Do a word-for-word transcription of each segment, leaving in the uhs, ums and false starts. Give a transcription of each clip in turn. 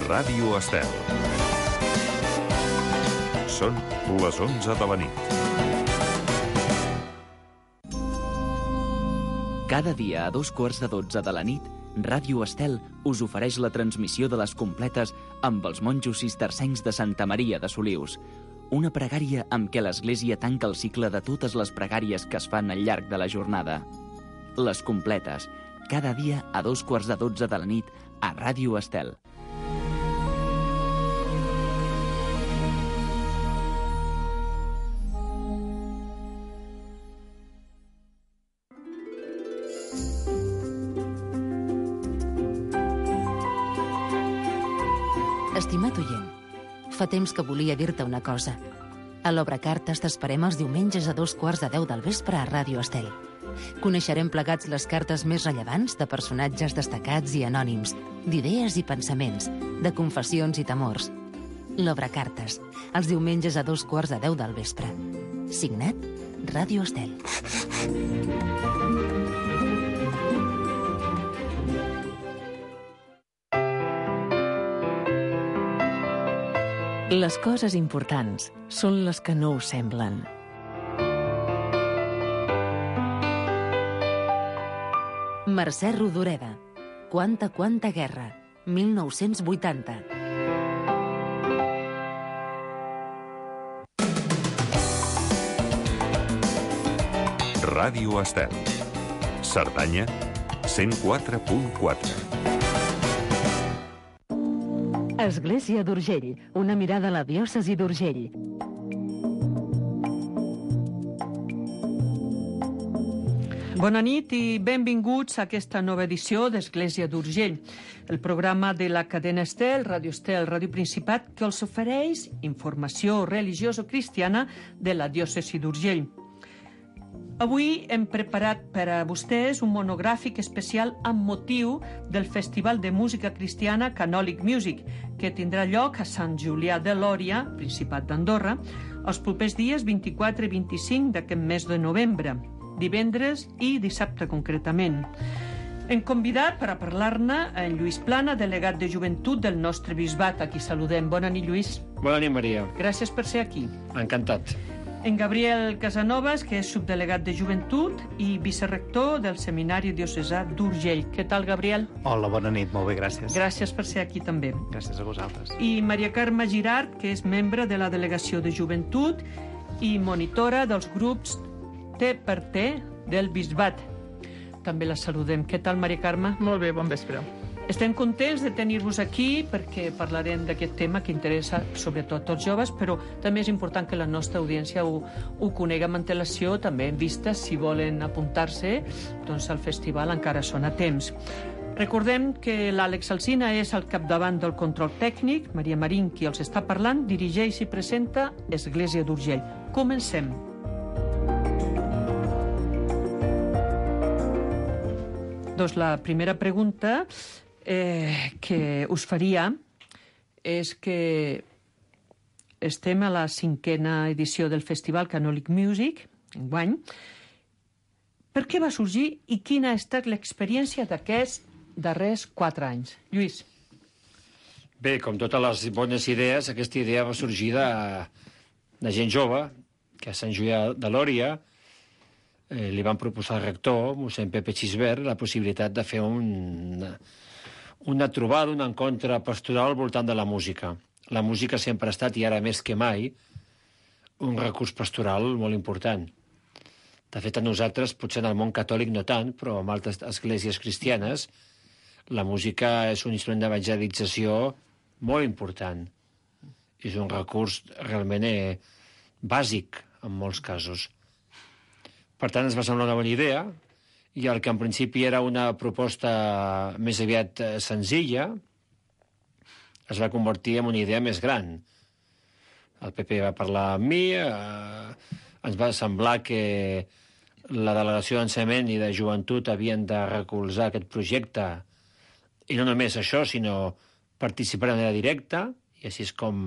Ràdio Estel. Són les onze de la nit. Cada dia a dos quarts de dotze de la nit, Ràdio Estel us ofereix la transmissió de les completes amb els monjos cistercencs de Santa Maria de Solius. Una pregària amb què l'Església tanca el cicle de totes les pregàries que es fan al llarg de la jornada. Les completes, cada dia a dos quarts de dotze de la nit a Ràdio Estel. Estimat oient, fa temps que volia dir-te una cosa. A l'Obra Cartes t'esperem els diumenges a dos quarts de deu del vespre a Ràdio Estel. Coneixerem plegats les cartes més rellevants de personatges destacats i anònims, d'idees i pensaments, de confessions i temors. L'Obra Cartes, els diumenges a dos quarts de deu del vespre. Signat, Ràdio Estel. Les coses importants són les que no ho semblen. Mercè Rodoreda. Quanta, quanta guerra. mil nou-cents vuitanta. Ràdio Estel. Cerdanya, cent quatre punt quatre. Església d'Urgell, una mirada a la diòcesi d'Urgell. Bona nit i benvinguts a aquesta nova edició d'Església d'Urgell, el programa de la cadena Estel, Ràdio Estel, Ràdio Principat, que els ofereix informació religioso-cristiana de la diòcesi d'Urgell. Avui hem preparat per a vostès un monogràfic especial amb motiu del Festival de Música Cristiana Canòlic Music, que tindrà lloc a Sant Julià de Lòria, Principat d'Andorra, els propers dies vint-i-quatre i vint-i-cinc d'aquest mes de novembre, divendres i dissabte concretament. Hem convidat per a parlar-ne en Lluís Plana, delegat de joventut del nostre bisbat. Aquí saludem. Bona nit, Lluís. Bona nit, Maria. Gràcies per ser aquí. Encantat. En Gabriel Casanovas, que és subdelegat de joventut i vicerrector del Seminari Diocesà d'Urgell. Què tal, Gabriel? Hola, bona nit, molt bé, gràcies. Gràcies per ser aquí també. Gràcies a vosaltres. I Maria Carme Girard, que és membre de la delegació de joventut i monitora dels grups T per T del bisbat. També la saludem. Què tal, Maria Carme? Molt bé, bon vespre. Estem contents de tenir-vos aquí perquè parlarem d'aquest tema que interessa sobretot als joves, però també és important que la nostra audiència ho, ho conegui amb antelació, també en vista, si volen apuntar-se, doncs al festival encara són a temps. Recordem que l'Àlex Alsina és al capdavant del control tècnic, Maria Marín, qui els està parlant, dirigeix i presenta Església d'Urgell. Comencem. Doncs la primera pregunta eh, que us faria és que estem a la cinquena edició del Festival Canòlic Music, enguany. Per què va sorgir i quina ha estat l'experiència d'aquests darrers quatre anys? Lluís. Bé, com totes les bones idees, aquesta idea va sorgir de, de gent jove, que a Sant Julià de Lòria eh, li van proposar al rector, mossèn Pepe Xisbert, la possibilitat de fer un, una trobada, un encontre pastoral al voltant de la música. La música sempre ha estat, i ara més que mai, un recurs pastoral molt important. De fet, a nosaltres, potser en el món catòlic no tant, però en altres esglésies cristianes, la música és un instrument d'evangelització molt important. És un recurs realment eh, bàsic, en molts casos. Per tant, ens va semblar una bona idea, i el que en principi era una proposta més aviat eh, senzilla, es va convertir en una idea més gran. El P P va parlar amb mi, eh, ens va semblar que la delegació d'ensenyament i de joventut havien de recolzar aquest projecte, i no només això, sinó participar de manera directa, i així és com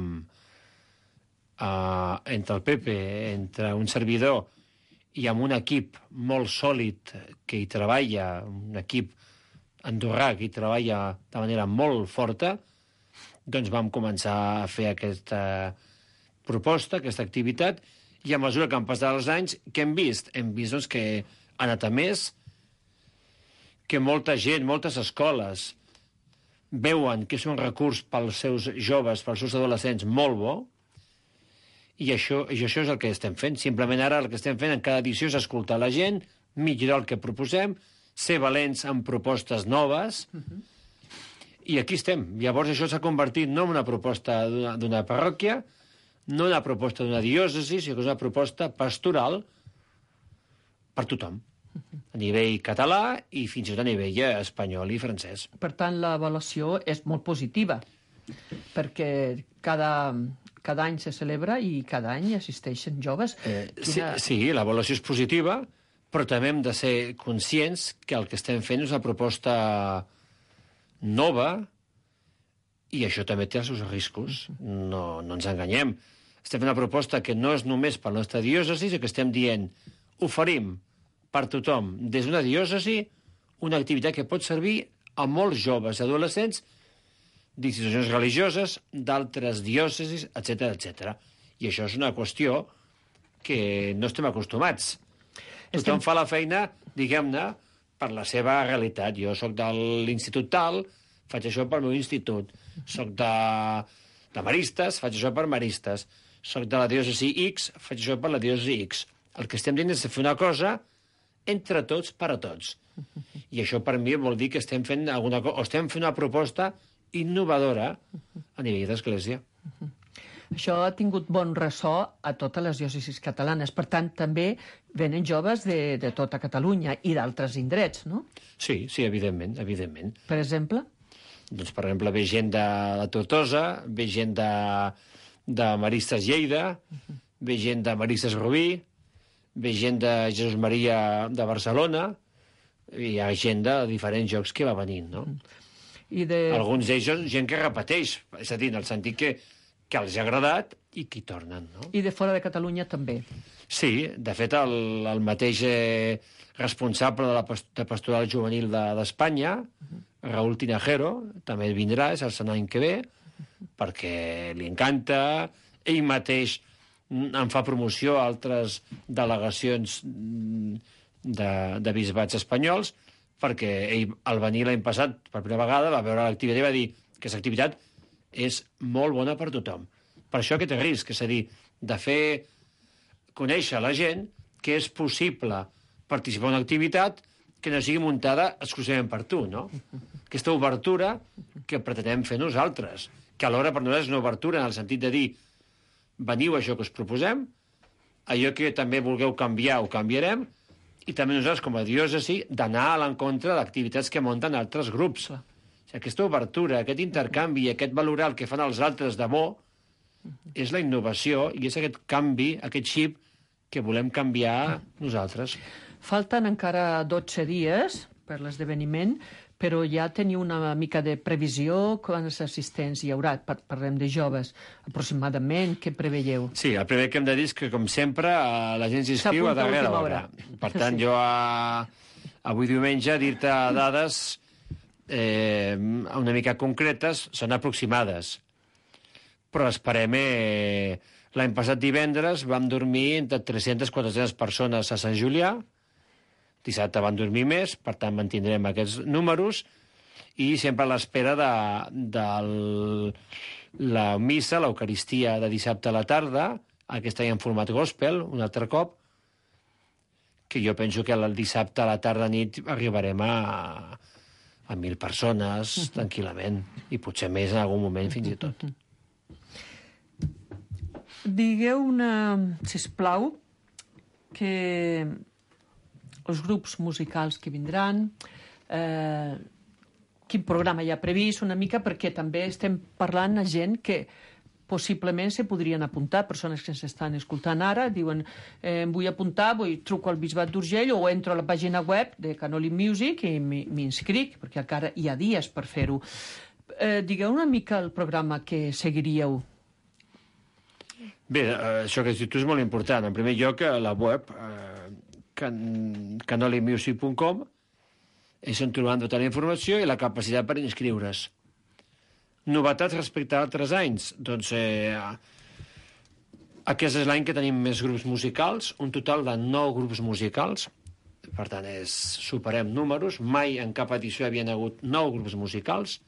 eh, entre el P P, entre un servidor i amb un equip molt sòlid que hi treballa, un equip andorrà que hi treballa de manera molt forta, doncs vam començar a fer aquesta proposta, aquesta activitat, i a mesura que han passat els anys, què hem vist? Hem vist doncs, que ha anat a més, que molta gent, moltes escoles veuen que és un recurs pels seus joves, pels seus adolescents molt bo, i això, i això és el que estem fent. Simplement ara el que estem fent en cada edició és escoltar la gent, millorar el que proposem, ser valents en propostes noves, uh-huh. I aquí estem. Llavors això s'ha convertit no en una proposta d'una parròquia, no una proposta d'una diòcesi, sinó que és una proposta pastoral per tothom, a nivell català i fins i tot a nivell espanyol i francès. Per tant, l'avaluació és molt positiva, perquè cada, cada any se celebra i cada any assisteixen joves. Eh, Quina... Sí, sí, l'avaluació és positiva, però també hem de ser conscients que el que estem fent és una proposta nova i això també té els seus riscos. No, no ens enganyem. Estem fent una proposta que no és només per la nostra diòcesi, sinó que estem dient, oferim per tothom, des d'una diòcesi, una activitat que pot servir a molts joves i adolescents d'institucions religioses, d'altres diòcesis, etcètera, etcètera. I això és una qüestió que no estem acostumats. Tothom estem... fa la feina, diguem-ne, per la seva realitat. Jo sóc de l'institut tal, faig això pel meu institut. Soc de, de Maristes, faig això per Maristes. Soc de la diòcesi X, faig això per la diòcesi X. El que estem dient és fer una cosa entre tots, per a tots. I això per mi vol dir que estem fent alguna cosa, o estem fent una proposta innovadora a nivell d'església. Això ha tingut bon ressò a totes les diòcesis catalanes. Per tant, també venen joves de, de tota Catalunya i d'altres indrets, no? Sí, sí, evidentment, evidentment. Per exemple? Doncs, per exemple, ve gent de la Tortosa, ve gent de, de Maristes Lleida, ve gent de Maristes Rubí, ve gent de Jesús Maria de Barcelona, i hi ha gent de diferents llocs que va venint, no? I de... Alguns d'ells són gent que repeteix, és a dir, en el sentit que que els ha agradat i que hi tornen, no? I de fora de Catalunya també. Sí, de fet, el, el mateix eh, responsable de la de Pastoral Juvenil d'Espanya, de, uh-huh. Raúl Tinajero, també vindrà, és el any que ve, uh-huh. perquè li encanta, ell mateix en fa promoció a altres delegacions de, de bisbats espanyols, perquè ell, al venir l'any passat, per primera vegada, va veure l'activitat i va dir que aquesta activitat és molt bona per tothom. Per això aquest risc, és a dir, de fer conèixer a la gent que és possible participar en una activitat que no sigui muntada exclusivament per tu, no? Aquesta obertura que pretenem fer nosaltres, que alhora per nosaltres és una obertura en el sentit de dir veniu a això que us proposem, allò que també vulgueu canviar ho canviarem, i també nosaltres com a diòcesi d'anar a l'encontre d'activitats que munten altres grups. Aquesta obertura, aquest intercanvi, aquest valorar el que fan els altres de bo, és la innovació i és aquest canvi, aquest xip que volem canviar nosaltres. Falten encara dotze dies per l'esdeveniment, però ja teniu una mica de previsió quants assistents hi haurà. Parlem de joves, aproximadament, què preveieu? Sí, el primer que hem de dir és que, com sempre, la gent s'inscriu a darrera hora. Per tant, sí. jo a... avui diumenge dir-te dades eh, una mica concretes, són aproximades. Però esperem... Eh, l'any passat divendres vam dormir entre tres-centes a quatre-centes persones a Sant Julià, dissabte van dormir més, per tant mantindrem aquests números, i sempre a l'espera de, de la missa, l'Eucaristia de dissabte a la tarda, aquest any en format gospel, un altre cop, que jo penso que el dissabte a la tarda nit arribarem a, a mil persones, tranquil·lament, i potser més en algun moment fins i tot. Digueu una, sisplau, que els grups musicals que vindran, eh, quin programa hi ha previst una mica, perquè també estem parlant a gent que possiblement se podrien apuntar, persones que s'estan escoltant ara, diuen, eh, em vull apuntar, vull truco al Bisbat d'Urgell o entro a la pàgina web de Canoli Music i m'inscric, perquè encara hi ha dies per fer-ho. Eh, digueu una mica el programa que seguiríeu. Bé, això que has dit tu és molt important. En primer lloc, la web, eh, can, canoli music punt com, és on trobaran tota la informació i la capacitat per inscriure's. Novetats respecte a altres anys? Doncs eh, aquest és l'any que tenim més grups musicals, un total de nou grups musicals. Per tant, és, superem números. Mai en cap edició hi havia hagut nou grups musicals,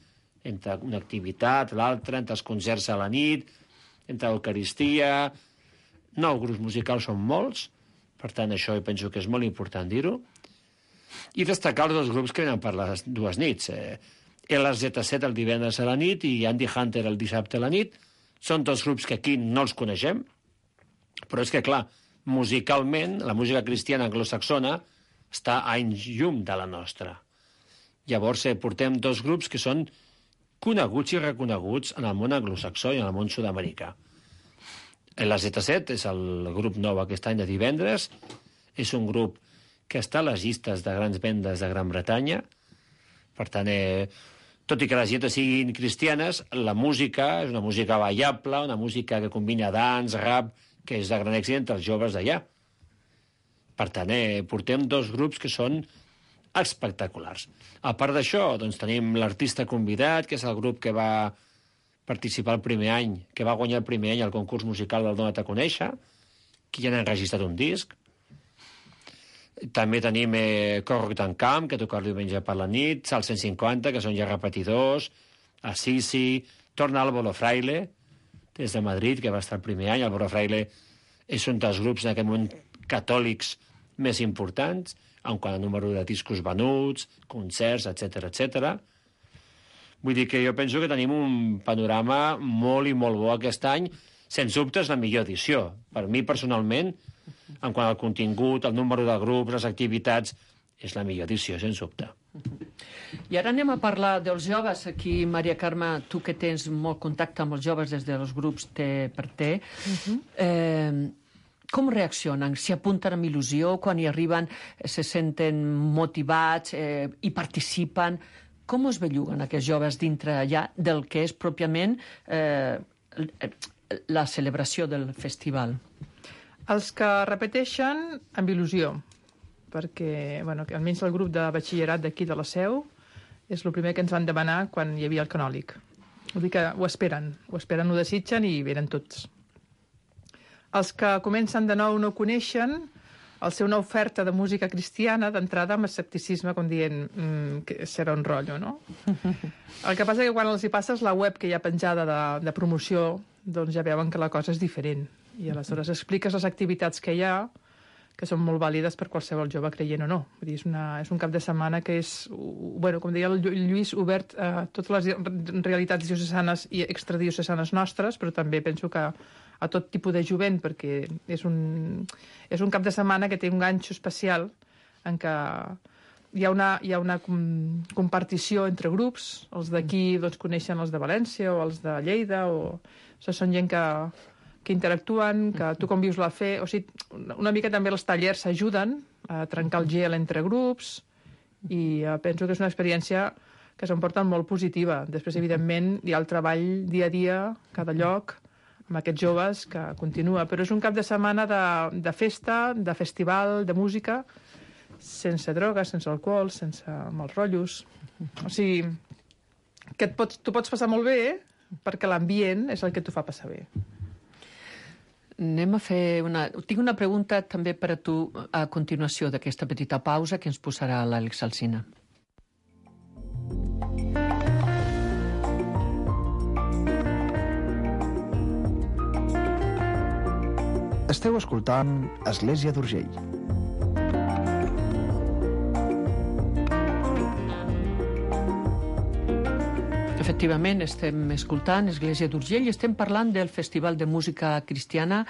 entre una activitat, l'altra, entre els concerts a la nit, entre l'Eucaristia. Nou grups musicals són molts, per tant, això jo penso que és molt important dir-ho. I destacar els dos grups que venen per les dues nits. Eh, L Z set el divendres a la nit i Andy Hunter el dissabte a la nit. Són dos grups que aquí no els coneixem, però és que, clar, musicalment, la música cristiana anglosaxona està a anys llum de la nostra. Llavors, eh, portem dos grups que són coneguts i reconeguts en el món anglosaxó i en el món sud-americà. L Z set és el grup nou aquest any de divendres. És un grup que està a les llistes de grans vendes de Gran Bretanya. Per tant, eh, tot i que les lletres siguin cristianes, la música és una música ballable, una música que combina dance, rap, que és de gran èxit entre els joves d'allà. Per tant, eh, portem dos grups que són espectaculars. A part d'això, doncs, tenim l'artista convidat, que és el grup que va participar el primer any, que va guanyar el primer any al concurs musical del Dona't a Conèixer, que ja n'han registrat un disc. També tenim eh, Corroc Camp, que toca el diumenge per la nit, Sal cent cinquanta, que són ja repetidors, Assisi, torna Álvaro Fraile, des de Madrid, que va estar el primer any. Álvaro Fraile és un dels grups en aquest moment catòlics més importants, en quant a número de discos venuts, concerts, etcètera, etcètera. Vull dir que jo penso que tenim un panorama molt i molt bo aquest any. Sens dubte és la millor edició. Per mi, personalment, en quant al contingut, el número de grups, les activitats, és la millor edició, sens dubte. I ara anem a parlar dels joves. Aquí, Maria Carme, tu que tens molt contacte amb els joves des dels grups T per T, uh-huh. eh, com reaccionen? S'hi apunten amb il·lusió? Quan hi arriben se senten motivats eh, i participen? Com es belluguen aquests joves dintre allà del que és pròpiament eh, la celebració del festival? Els que repeteixen amb il·lusió, perquè bueno, almenys el grup de batxillerat d'aquí de la Seu és el primer que ens van demanar quan hi havia el canòlic. Vull dir que ho esperen, ho esperen, ho desitgen i venen tots. Els que comencen de nou no coneixen, al ser una oferta de música cristiana, d'entrada amb escepticisme, com dient mmm, que serà un rotllo, no? El que passa és que quan els hi passes la web que hi ha penjada de, de promoció, doncs ja veuen que la cosa és diferent. I aleshores expliques les activitats que hi ha, que són molt vàlides per qualsevol jove creient o no. Vull dir, és, una, és un cap de setmana que és, bueno, com deia el Lluís, obert a totes les realitats diocesanes i extradiocesanes nostres, però també penso que a tot tipus de jovent, perquè és un, és un cap de setmana que té un ganxo especial en què hi ha una, hi ha una com, compartició entre grups. Els d'aquí doncs, coneixen els de València o els de Lleida, o, o sigui, són gent que, que interactuen, que tu com vius la fe... O sigui, una mica també els tallers s'ajuden a trencar el gel entre grups i uh, penso que és una experiència que s'emporta molt positiva. Després, evidentment, hi ha el treball dia a dia, cada lloc, amb aquests joves, que continua. Però és un cap de setmana de, de festa, de festival, de música, sense drogues, sense alcohol, sense mals rotllos. O sigui, que et pots, tu pots passar molt bé, eh? Perquè l'ambient és el que t'ho fa passar bé. Anem a fer una... Tinc una pregunta també per a tu a continuació d'aquesta petita pausa que ens posarà l'Àlex Alsina. Esteu escoltant Església d'Urgell. Efectivament, estem escoltant Església d'Urgell i estem parlant del Festival de Música Cristiana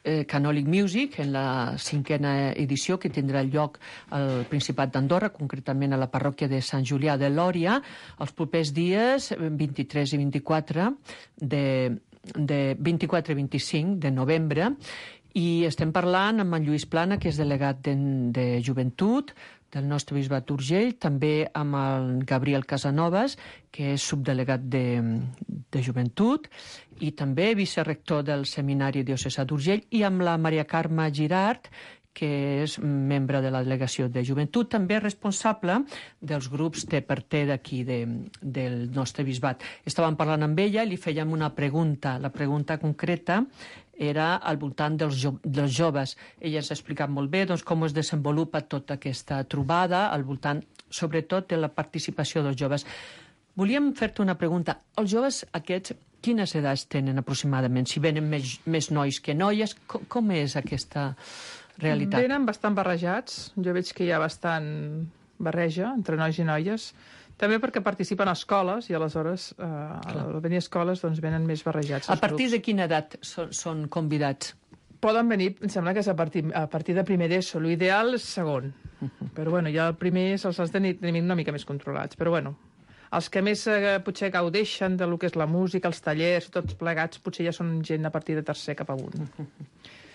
eh, Canòlic Music en la cinquena edició que tindrà lloc al Principat d'Andorra, concretament a la parròquia de Sant Julià de Lòria, els propers dies vint-i-tres i vint-i-quatre de... de vint-i-quatre i vint-i-cinc de novembre, i estem parlant amb en Lluís Plana, que és delegat de, de joventut del nostre bisbat d'Urgell, també amb el Gabriel Casanovas, que és subdelegat de, de joventut, i també vicerector del Seminari Diocesà d'Urgell, i amb la Maria Carme Girard, que és membre de la delegació de joventut, també responsable dels grups T per T d'aquí, de, del nostre bisbat. Estàvem parlant amb ella i li fèiem una pregunta. La pregunta concreta era al voltant dels, jo dels joves. Ella ens ha explicat molt bé doncs, com es desenvolupa tota aquesta trobada al voltant, sobretot, de la participació dels joves. Volíem fer-te una pregunta. Els joves aquests, quines edats tenen aproximadament? Si venen més, més nois que noies, com, com és aquesta realitat? Venen bastant barrejats. Jo veig que hi ha bastant barreja entre nois i noies. També perquè participen a escoles i aleshores eh, al venir a escoles doncs, venen més barrejats. A partir grups. de quina edat són, són convidats? Poden venir, em sembla que és a partir, a partir de primer d'ESO. L'ideal és segon. Però bueno, ja el primer se'ls has de tenir una mica més controlats. Però bueno, els que més eh, potser gaudeixen de lo que és la música, els tallers, tots plegats, potser ja són gent a partir de tercer cap amunt.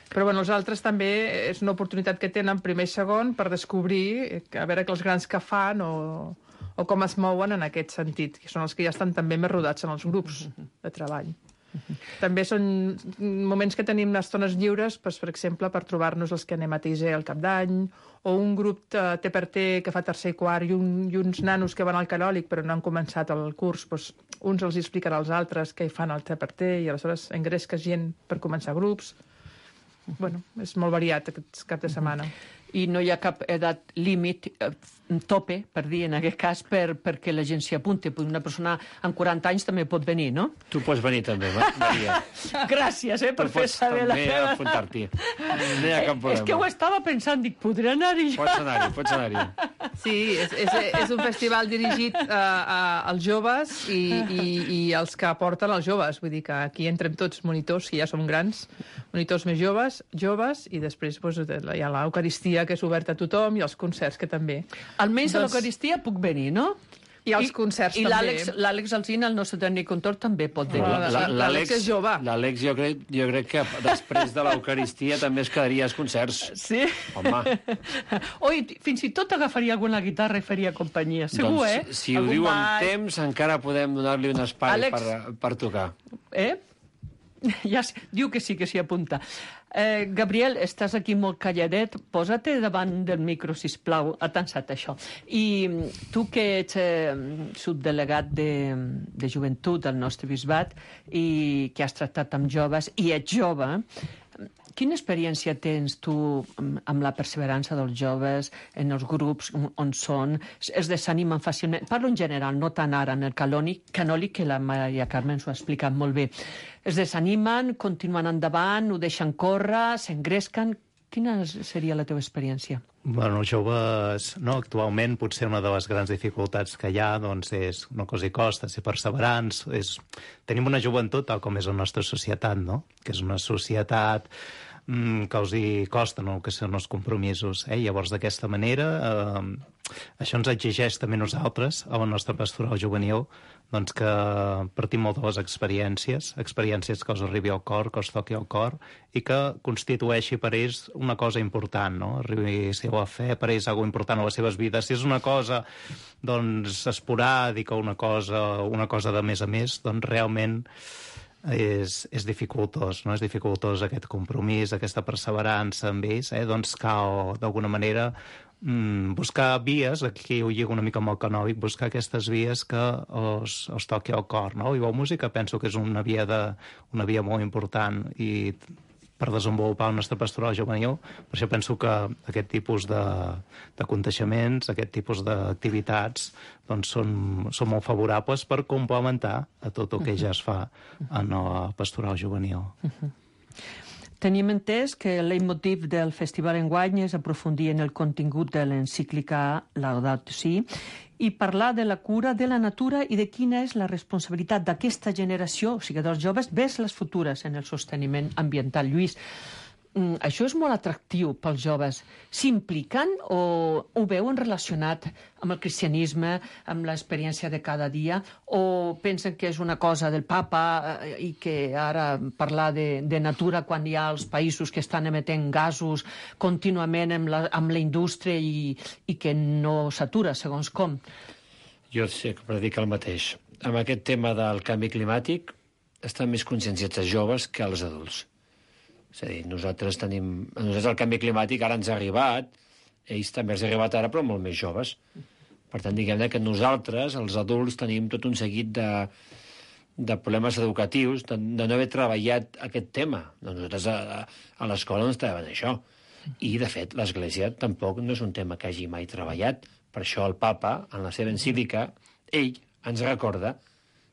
Però bueno, els altres també és una oportunitat que tenen primer i segon per descobrir, a veure que els grans que fan o, o com es mouen en aquest sentit, que són els que ja estan també més rodats en els grups de treball. També són moments que tenim estones lliures, doncs, per exemple, per trobar-nos els que anem a T I S E al cap d'any, o un grup T per T que fa tercer i quart i, un, i uns nanos que van al Canòlic però no han començat el curs, doncs, uns els explicarà als altres què hi fan al T per T i aleshores engresques gent per començar grups. Bueno, és molt variat aquest cap de setmana. I no hi ha cap edat límit, eh, tope, per dir, en aquest cas, per, perquè la gent s'hi apunti. Una persona amb quaranta anys també pot venir, no? Tu pots venir també, Maria. Gràcies, eh, per tu fer pots saber la també meva... apuntar-t'hi. No hi ha cap problema. És que ho estava pensant, dic, podré anar-hi jo? Pots anar-hi, pots anar-hi. Sí, és, és, és un festival dirigit a, a, als joves i, i, i els que aporten els joves. Vull dir que aquí entrem tots monitors, que ja som grans, monitors més joves, joves, i després doncs, hi ha l'Eucaristia, que és oberta a tothom, i els concerts, que també. Almenys doncs... a l'Eucaristia puc venir, no? I els concerts i també. I l'Àlex Alsina, el nostre tècnic contor, també pot venir. L'Àlex és jove. L'Àlex jo, crec, jo crec que després de l'Eucaristia també es quedaria als concerts. Sí? Home. Oi, fins i tot agafaria alguna guitarra i faria companyia. Segur, doncs, eh? Si ho Algun diu amb ball... temps, encara podem donar-li un espai Àlex... per, per tocar. Eh? Ja diu que sí, que s'hi apunta. Eh, Gabriel, estàs aquí molt calladet. Posa-te davant del micro, sisplau. Ha tensat això. I tu que ets eh, subdelegat de, de joventut al nostre bisbat i que has tractat amb joves i ets jove, quina experiència tens tu amb la perseverança dels joves en els grups on són? Es desanimen fàcilment? Parlo en general, no tant ara en el canòlic, canòlic que la Maria Carmen s'ho ha explicat molt bé. Es desanimen, continuen endavant, ho deixen córrer, s'engresquen... Quina seria la teva experiència? Bueno, els joves, no, actualment potser una de les grans dificultats que hi ha doncs, és una cosa i costa, ser perseverants. És... Tenim una joventut tal com és la nostra societat, no? Que és una societat mm, que els hi costa, no?, que són els compromisos. Eh? Llavors, d'aquesta manera, eh, això ens exigeix també nosaltres, a la nostra pastoral juvenil, doncs que partim molt de les experiències, experiències que els arribi al cor, que els toqui al cor, i que constitueixi per ells una cosa important, no? Arribi a ser la fe per ells alguna important a les seves vides. Si és una cosa, doncs, esporàdica, una cosa, una cosa de més a més, doncs realment és, és dificultós, no? És dificultós aquest compromís, aquesta perseverança amb ells, eh? Doncs cal, d'alguna manera, Mm, buscar vies, aquí ho lligo una mica amb el canòlic, buscar aquestes vies que els, els toqui al cor, no? I la música penso que és una via, de, una via molt important i per desenvolupar el nostre pastoral juvenil. Per això penso que aquest tipus de, de contagiaments, aquest tipus d'activitats doncs són, són molt favorables per complementar a tot el que ja es fa en el pastoral juvenil. Uh-huh. Tenim entès que el leitmotiv del festival enguany és aprofundir en el contingut de l'encíclica Laudato Si i parlar de la cura de la natura i de quina és la responsabilitat d'aquesta generació, o sigui, dels joves, vers les futures en el sosteniment ambiental. Lluís, això és molt atractiu pels joves. S'impliquen o ho veuen relacionat amb el cristianisme, amb l'experiència de cada dia, o pensen que és una cosa del papa i que ara parlar de, de natura quan hi ha els països que estan emetent gasos contínuament amb la, amb la indústria i, i que no s'atura, segons com? Jo sé que predica el mateix. Amb aquest tema del canvi climàtic estan més conscienciats els joves que els adults. És a dir, nosaltres tenim... A nosaltres el canvi climàtic ara ens ha arribat, ells també els ha arribat ara, però molt més joves. Per tant, diguem que nosaltres, els adults, tenim tot un seguit de, de problemes educatius, de, de no haver treballat aquest tema. Nosaltres a, a l'escola no estàvem això. I, de fet, l'Església tampoc no és un tema que hagi mai treballat. Per això el papa, en la seva encíclica, ell ens recorda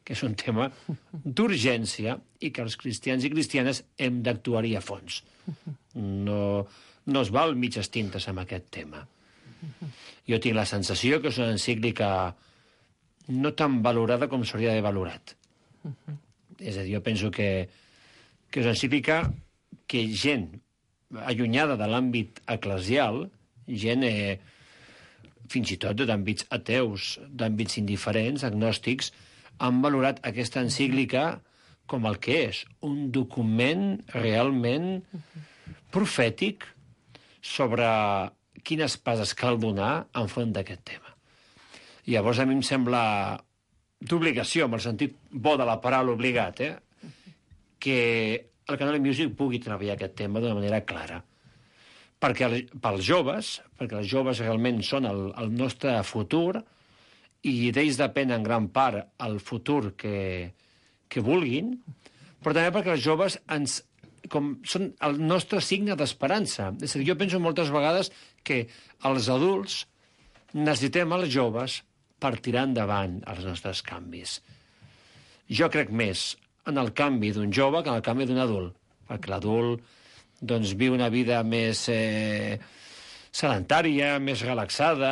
que és un tema d'urgència i que els cristians i cristianes hem d'actuar-hi a fons. No, no es val mitges tintes amb aquest tema. Jo tinc la sensació que és una encíclica no tan valorada com s'hauria d'haver valorat. És a dir, jo penso que, que és una encíclica que gent allunyada de l'àmbit eclesial, gent eh, fins i tot d'àmbits ateus, d'àmbits indiferents, agnòstics, han valorat aquesta encíclica com el que és, un document realment profètic sobre quines passes cal donar enfront d'aquest tema. I llavors a mi em sembla d'obligació, amb el sentit bo de la paraula obligat, eh? que el Canal Music pugui treballar aquest tema d'una manera clara. Perquè el, pels joves, perquè els joves realment són el, el nostre futur, i d'ells depèn en gran part el futur que, que vulguin, però també perquè els joves ens, com són el nostre signe d'esperança. És a dir, jo penso moltes vegades que els adults necessitem els joves per tirar endavant els nostres canvis. Jo crec més en el canvi d'un jove que en el canvi d'un adult, perquè l'adult doncs, viu una vida més eh, sedentària, més relaxada,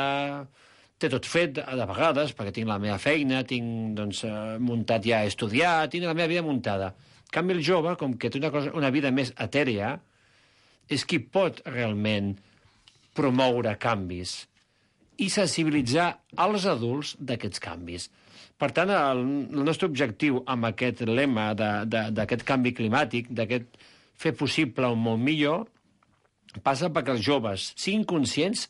té tot fet, de vegades, perquè tinc la meva feina, tinc doncs, muntat ja a estudiar, tinc la meva vida muntada. En canvi, el jove, com que té una, cosa, una vida més etèria, és qui pot realment promoure canvis i sensibilitzar els adults d'aquests canvis. Per tant, el, el nostre objectiu amb aquest lema d'aquest canvi climàtic, d'aquest fer possible un món millor, passa perquè els joves siguin conscients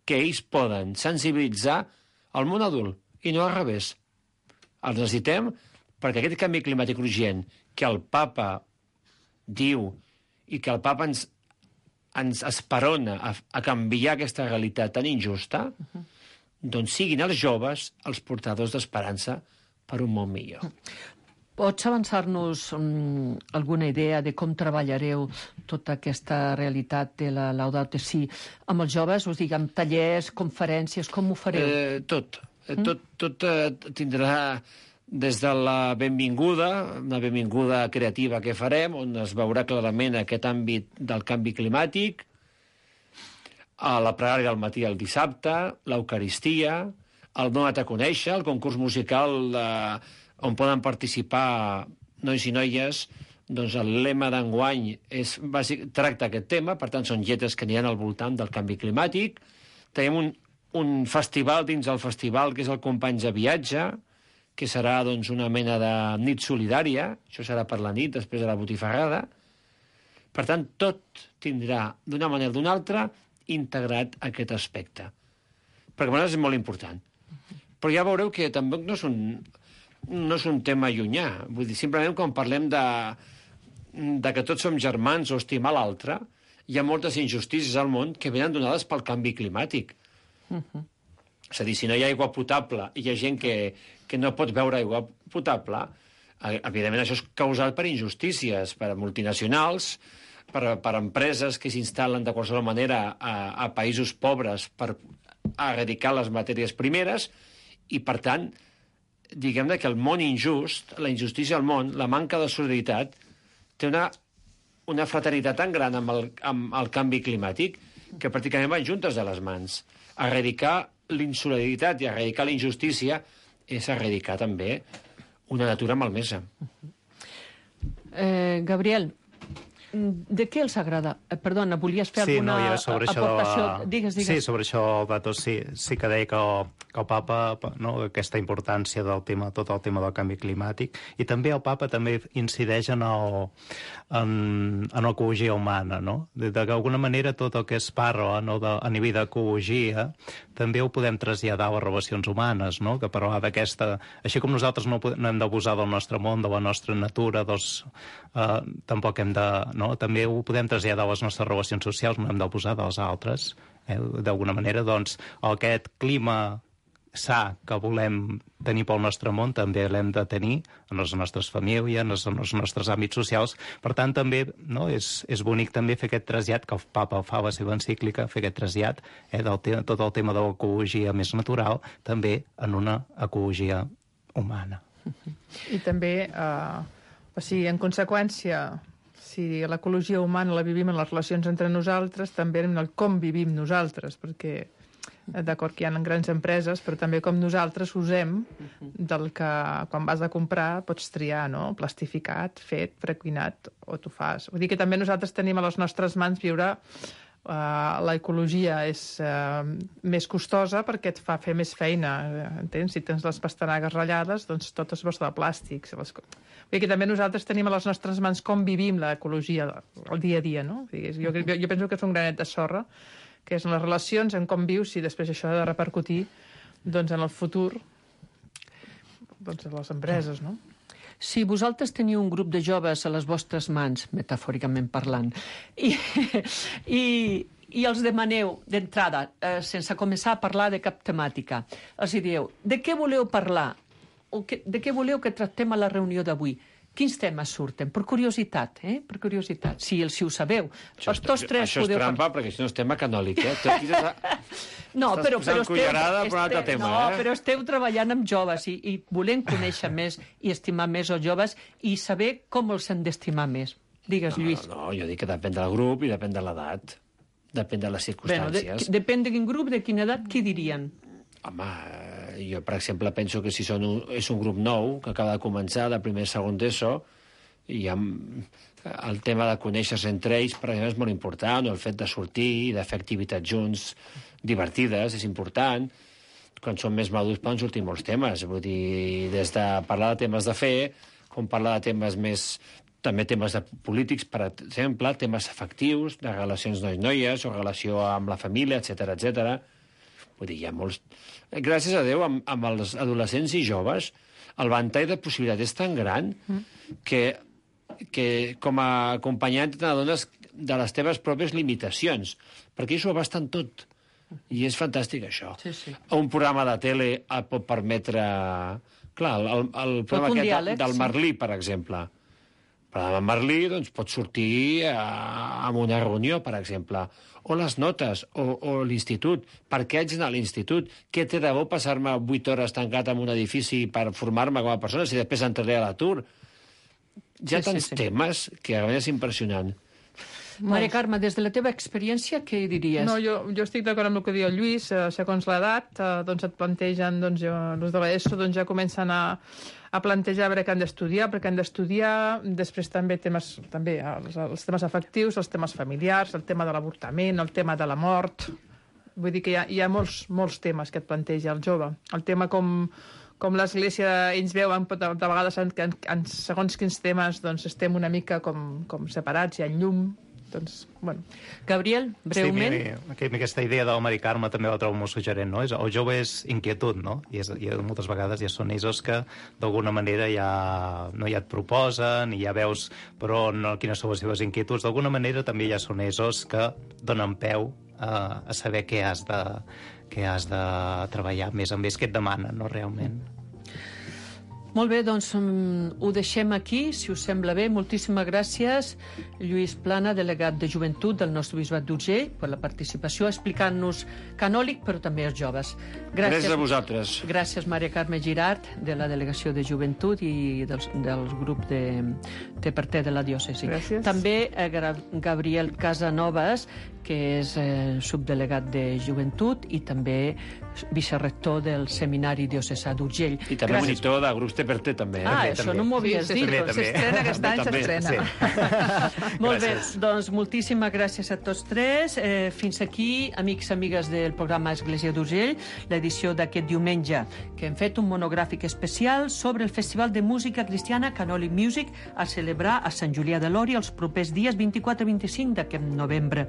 que ells poden sensibilitzar el món adult, i no al revés. Els necessitem perquè aquest canvi climàtic urgent que el papa diu i que el papa ens, ens esperona a, a canviar aquesta realitat tan injusta, uh-huh. doncs siguin els joves els portadors d'esperança per un món millor. Pots avançar-nos um, alguna idea de com treballareu tota aquesta realitat de la Laudato Si amb els joves? Us dic, amb tallers, conferències, com ho fareu? Eh, tot. Eh, mm? Tot, tot eh, tindrà des de la benvinguda, una benvinguda creativa que farem, on es veurà clarament aquest àmbit del canvi climàtic, a la pregària del matí al dissabte, l'Eucaristia, el Dona't a conèixer, el concurs musical de on poden participar nois i noies, doncs el lema d'enguany és, bàsic, tracta aquest tema, per tant són lletres que aniran al voltant del canvi climàtic. Tenim un, un festival dins el festival que és el Companys de Viatge, que serà doncs, una mena de nit solidària, això serà per la nit, després de la botifarrada. Per tant, tot tindrà, d'una manera o d'una altra, integrat aquest aspecte. Perquè per nosaltres és molt important. Però ja veureu que tampoc no és un... no és un tema llunyà. Vull dir, simplement quan parlem de, de que tots som germans o estimar l'altre, hi ha moltes injustícies al món que venen donades pel canvi climàtic. Uh-huh. És a dir, si no hi ha aigua potable i hi ha gent que, que no pot beure aigua potable, evidentment això és causat per injustícies, per multinacionals, per, per empreses que s'instal·len de qualsevol manera a, a països pobres per erradicar les matèries primeres i, per tant, diguem-ne que el món injust, la injustícia al món, la manca de solidaritat, té una, una fraternitat tan gran amb el, amb el canvi climàtic que pràcticament van juntes de les mans. Erradicar l'insolidaritat i erradicar la injustícia és erradicar també una natura malmesa. Eh, Gabriel, de què els agrada? Eh, perdona, volies fer sí, alguna no, sobre aportació? Això, digues, digues. Sí, sobre això, Dato, sí, sí que deia que el, que el papa, no, aquesta importància del tema, tot el tema del canvi climàtic, i també el papa també incideix en el, en, en l'ecologia humana, no? De, de d'alguna manera tot el que es parla, no, de, a nivell d'ecologia també ho podem traslladar a les relacions humanes, no? Que parlar d'aquesta... Així com nosaltres no, no hem d'abusar del nostre món, de la nostra natura, doncs, eh, tampoc hem de... no? També ho podem traslladar a les nostres relacions socials, no hem de posar dels altres. Eh? D'alguna manera, doncs, aquest clima sa que volem tenir pel nostre món també l'hem de tenir en les nostres famílies, en els, en els nostres àmbits socials. Per tant, també no, és, és bonic també fer aquest trasllat, que el papa fa a la seva encíclica, fer aquest trasllat eh, del te tot el tema de l'ecologia més natural, també en una ecologia humana. I també, eh, o sigui, en conseqüència, si l'ecologia humana la vivim en les relacions entre nosaltres, també en el com vivim nosaltres, perquè d'acord que hi ha grans empreses, però també com nosaltres usem del que quan vas a comprar pots triar, no? Plastificat, fet, precuinat, o tu fas. Vull dir que també nosaltres tenim a les nostres mans viure uh, l'ecologia és uh, més costosa perquè et fa fer més feina, entens? Si tens les pastanagues ratllades, doncs tot és bosta de plàstics. Les... Vull dir que també nosaltres tenim a les nostres mans com vivim l'ecologia el dia a dia, no? Vull dir, jo, jo, jo penso que és un granet de sorra, que és en les relacions, en com vius, i després això ha de repercutir doncs, en el futur doncs, a les empreses, no? Si vosaltres teniu un grup de joves a les vostres mans, metafòricament parlant, i, i, i els demaneu d'entrada, eh, sense començar a parlar de cap temàtica, els dieu, de què voleu parlar? O que, de què voleu que tractem a la reunió d'avui? Quins temes surten? Per curiositat, eh? Per curiositat. Si, si ho sabeu. Això, és, tots tres això és podeu... trampa, perquè això no és tema canòlic, eh? Tu aquí estàs, no, però, però esteu, per un altre tema, no, eh? però esteu treballant amb joves i, i volem conèixer més i estimar més els joves i saber com els hem d'estimar més. Digues, no, Lluís. No, no, jo dic que depèn del grup i depèn de l'edat. Depèn de les circumstàncies. Bueno, de, depèn de quin grup, de quina edat, què dirien? Home, jo, per exemple, penso que si són un, és un grup nou, que acaba de començar, de primer, segon d'ESO, i ha, el tema de conèixer-se entre ells, per exemple, és molt important, el fet de sortir, de fer activitats junts divertides, és important. Quan són més madurs poden sortir molts temes, vull dir, des de parlar de temes de fe, com parlar de temes més... també temes de polítics, per exemple, temes afectius, de relacions nois-noies, o relació amb la família, etcètera, etcètera. Vull dir, hi ha molts... Gràcies a Déu, amb, amb els adolescents i joves, el ventall de possibilitats és tan gran que, que com a acompanyant t'adones de les teves pròpies limitacions, perquè ells ho abasten tot. I és fantàstic, això. Sí, sí. Un programa de tele et pot permetre... Clar, el, el programa aquest diàleg, del Merlí, per exemple. El programa Merlí doncs, pot sortir a, a una reunió, per exemple. O les notes, o, o l'institut. Per què haig d'anar a l'institut? Què té de bo passar-me vuit hores tancat en un edifici per formar-me com a persona si després entraré a l'atur? Hi ha sí, tants sí, sí. temes que a vegades és impressionant. Maria Carme, des de la teva experiència, què diries? No, jo, jo estic d'acord amb el que diu el Lluís. Eh, segons l'edat, eh, doncs et plantegen, doncs, jo, els de l'ESO doncs, ja comencen a, a plantejar a veure què han d'estudiar, perquè han d'estudiar, després també temes, també els, els temes afectius, els temes familiars, el tema de l'avortament, el tema de la mort. Vull dir que hi ha, hi ha molts, molts temes que et planteja el jove. El tema com... com l'Església ells veuen, de vegades en, en, en segons quins temes doncs, estem una mica com, com separats, hi ha llum, doncs, bueno. Gabriel, breument. Sí, mira, aquesta idea del Mari Carme també la trobo molt suggerent, no? El jove és inquietud, no? I, és, i moltes vegades ja són ells que d'alguna manera ja, no, ja et proposen i ja veus però no, quines són les seves inquietuds. D'alguna manera també ja són ells que donen peu a, a saber què has de... que has de treballar més amb ells, que et demanen, no, realment. Molt bé, doncs um, ho deixem aquí, si us sembla bé. Moltíssimes gràcies, Lluís Plana, delegat de Joventut del nostre Bisbat d'Urgell, per la participació, explicant-nos canòlic, però també els joves. Gràcies, gràcies a vosaltres. Gràcies, Maria Carme Girart, de la Delegació de Joventut i del, del grup de Té per Té de la diòcesi. Gràcies. També eh, Gabriel Casanovas, que és eh, subdelegat de Joventut i també vicerrector del Seminari Diocesà d'Urgell. I també gràcies. Monitor de grups Té per Té, també. Ah, també, això també. no m'ho havies sí, dit. Doncs s'estrena aquest any, s'estrena. Sí. Molt bé, doncs moltíssimes gràcies a tots tres. Eh, fins aquí, amics i amigues del programa Església d'Urgell, l'edició d'aquest diumenge, que hem fet un monogràfic especial sobre el Festival de Música Cristiana Canòlic Music a celebrar a Sant Julià de Lòria els propers dies vint-i-quatre i vint-i-cinc d'aquest novembre.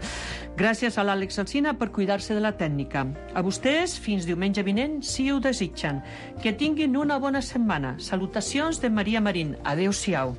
Gràcies a l'Àlex Alsina per cuidar-se de la tècnica. A vostès, fins diumenge vinent, si ho desitgen. Que tinguin una bona setmana. Salutacions de Maria Marín. Adéu-siau.